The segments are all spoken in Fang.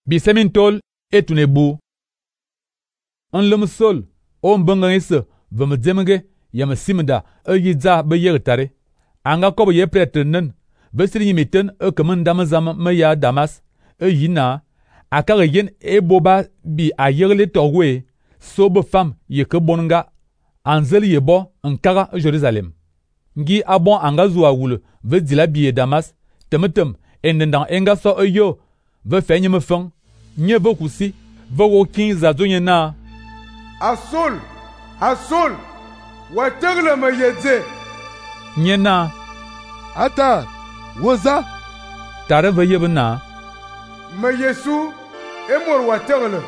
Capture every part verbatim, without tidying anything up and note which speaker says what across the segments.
Speaker 1: Bisemin tol etune bu. Nlum sol o mbanga ese vem dzemge yam simda e yidza be yer tare. Anga kobo ye pretenen ve siri miten e kemen dam zam me ya Damas e yina akare yen e boba bi a yerle torwe so be fam ye ke bonga anzel ye bo nkara Jerusalem. Ngi abon anga zuwa wule ve dila bi Damas temetem endendang enga so e yo ve fenye me feng nye ve kusi ve wo kin za zonye na
Speaker 2: Asol asol wa tegle me yedze
Speaker 1: nye na
Speaker 3: ata woza
Speaker 1: tare ve yebe na
Speaker 2: me Yesu e mor wa tegle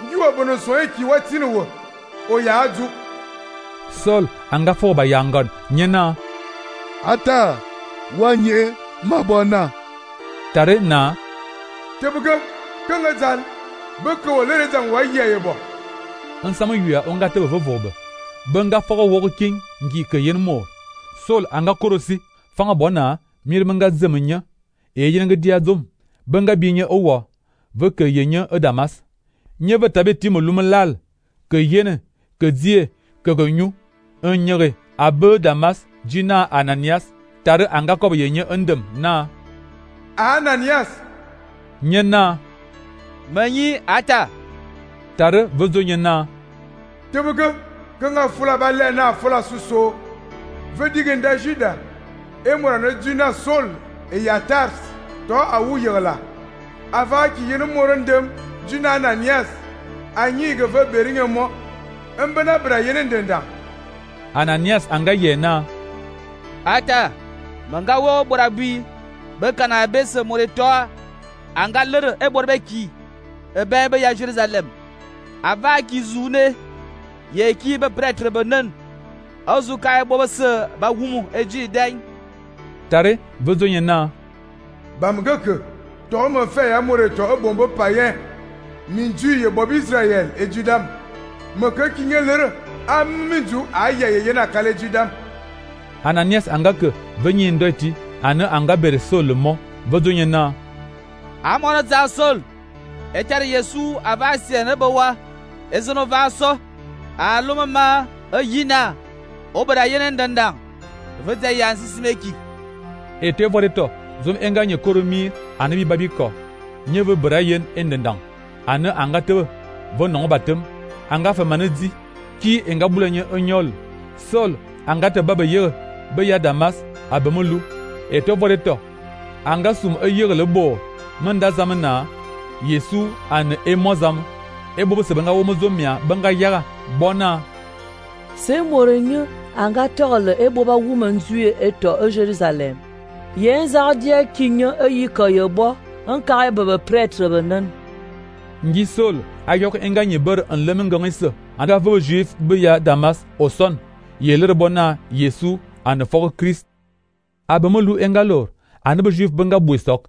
Speaker 2: ngi wa bono so e ki wa tinwo o ya aju
Speaker 1: Sol anga fo ba yangon nye na
Speaker 3: ata wanye mabona
Speaker 1: tare na
Speaker 2: tebuga kanga zal be ko le zan wa yeye bo
Speaker 1: nsama yuya onga te ve vobe benga fogo wogo king ngi ke yen mo Sol anga korosi fanga bona mir menga zemenya e yenga dia dom benga binye owo ve ke yenya e Damas nye ve tabe timo lumlal ke yene ke die ke gonyu enyere abe Damas jina Ananias tare anga kob yenye endem na
Speaker 2: Ananias
Speaker 1: nyena
Speaker 4: manyi ata
Speaker 1: tare vezo nyena
Speaker 2: tebuga kanga fula ba le na fula suso ve digenda Juda e mora na jina Sol e ya Tars to awu yela ava ki yen morandem jina Ananias anyi ge ve beringe mo embena bra yen ndenda
Speaker 1: Ananias anga yena
Speaker 4: ata manga wo borabi be kana be se more to anga lere e borbe ki e be be ya Jerusalem ava ki zune ye ki be prêtre benen azu kai bo se ba wumu eji den
Speaker 1: tare vezo nyena
Speaker 2: bamgeke to me fe ya more to e bombo payen minju ye bob Israel e Judam me ke kinye lere amiju ayaye na kale Judam
Speaker 1: Ananias anga ke venye ndoti ana anga bere Sol mo vezo nyena
Speaker 4: amona za Sol etar Yesu avasi ne bawa ezono vaso aluma ayina obara yenen dandang vete yansi simeki
Speaker 1: ete voreto zum enganye koromi anabi babiko nyeve brayen endendang ana anga te vo non batem anga fa manadi ki enga bulanye onyol Sol anga te baba ye be ya Damas abamulu ete voreto anga sum ayere le bo manda zamana Yesu an emozam ebo se benga wo mozomia benga yara bona
Speaker 5: se morenye anga tole ebo ba woman zue eto e Jerusalem yen zardia kinyo e yikoyobo anka bebe prêtre benen
Speaker 1: ngi Sol ayok enganye ber en lemengongese anda vo juif be ya Damas oson yeler bona Yesu an for Christ abamolu engalor an be juif benga buisok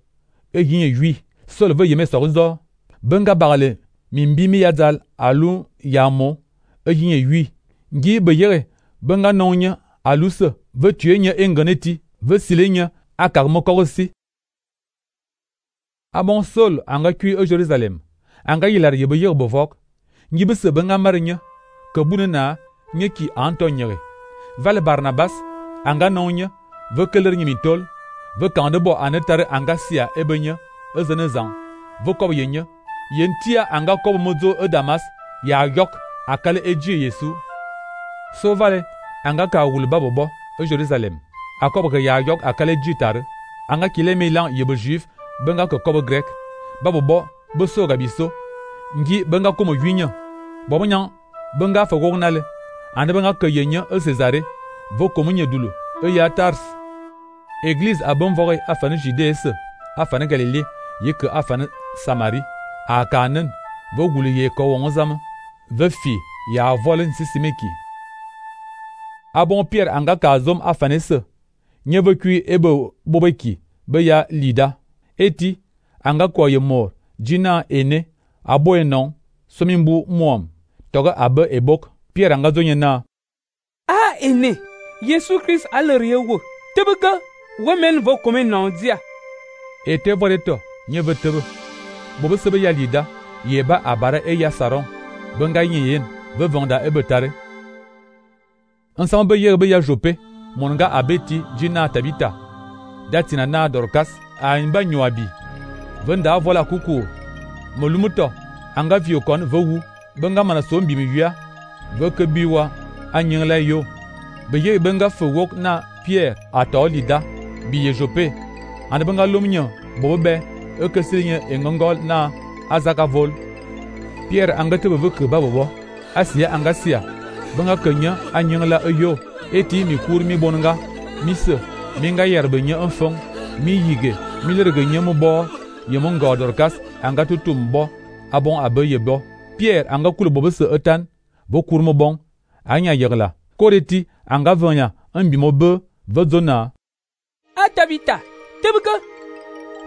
Speaker 1: e yin yui Sol ve yeme sorzo benga barale mimbimi yadal alu yamo e yin yui ngi be yere benga nonya aluse ve tuenya enganeti ve silenya akar mokorosi abon Sol anga kui e Jerusalem anga yilar yebe yer bovok ngi be se benga marnya ke bunena nyeki antonyere val Barnabas anga nonya ve keler nyimitol ve kande bo anetare anga sia ebenya ezenezan ve kob yenya yentia anga kob mozo e Damas ya yok akale eji Yesu so vale anga ka wul babobo e Jerusalem akob ke ya yok akale jitar anga kile milan yebe juif benga ko kob grek babobo bo so gabiso ngi benga komo winya bobonya benga fa gognale ande benga ke yenya e Cesare vo komunye dulu e ya Tars église abon vore afane Judée afane Galilée yeke afane Samari a kanen vo gulu ye ko wonzam ve fi ya volen sisimeki abon Pierre anga ka zom afane se nye ve kui ebe bobeki be ya Lida eti anga ko ye mor jina ene abo enon somimbu muam toga abe ebok Pierre anga zonyena
Speaker 6: a ene Yesu Christ alere wo tebega women vo komen non dia
Speaker 1: ete voreto nye ve tebe bobo sebe ya lida yeba abara e ya saron benga yin ve vonda e betare ensemble be yer be ya Jope monga abeti jina Tabita datina na Dorcas a imba nyoabi venda vola kuku molumuto anga viokon vewu benga mana sombi mi wia ve ke biwa anyingla yo be ye benga fewok na Pierre ato lida biye Jope and benga lomnyo bobe e ke signe engongol na azaka vol Pierre anga te be ke babo asia anga sia benga kenya anyingla eyo eti mi kur mi bonga mi se mi nga yerbe nya enfong mi yige mi lerge nya mo bo yemo nga Dorcas anga tutum bo abon abe yebo Pierre anga kul bobo se etan bo kur mo bon anya yegla koreti anga vanya ambi mo be vezona
Speaker 6: a Tabita tebka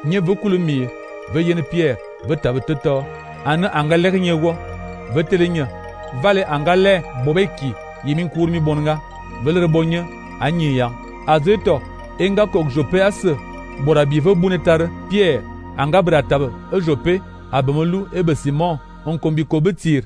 Speaker 1: nye ve kul mi ve yen Pierre ve tabe toto ana anga leg nye wo ve telenya vale anga le bobeki yimin kur mi bonga veler bonye anyi ya azeto enga kok Jope ase bora bive bunetar Pierre anga bratab e Jope abemolu ebe Simon on kombi ko betir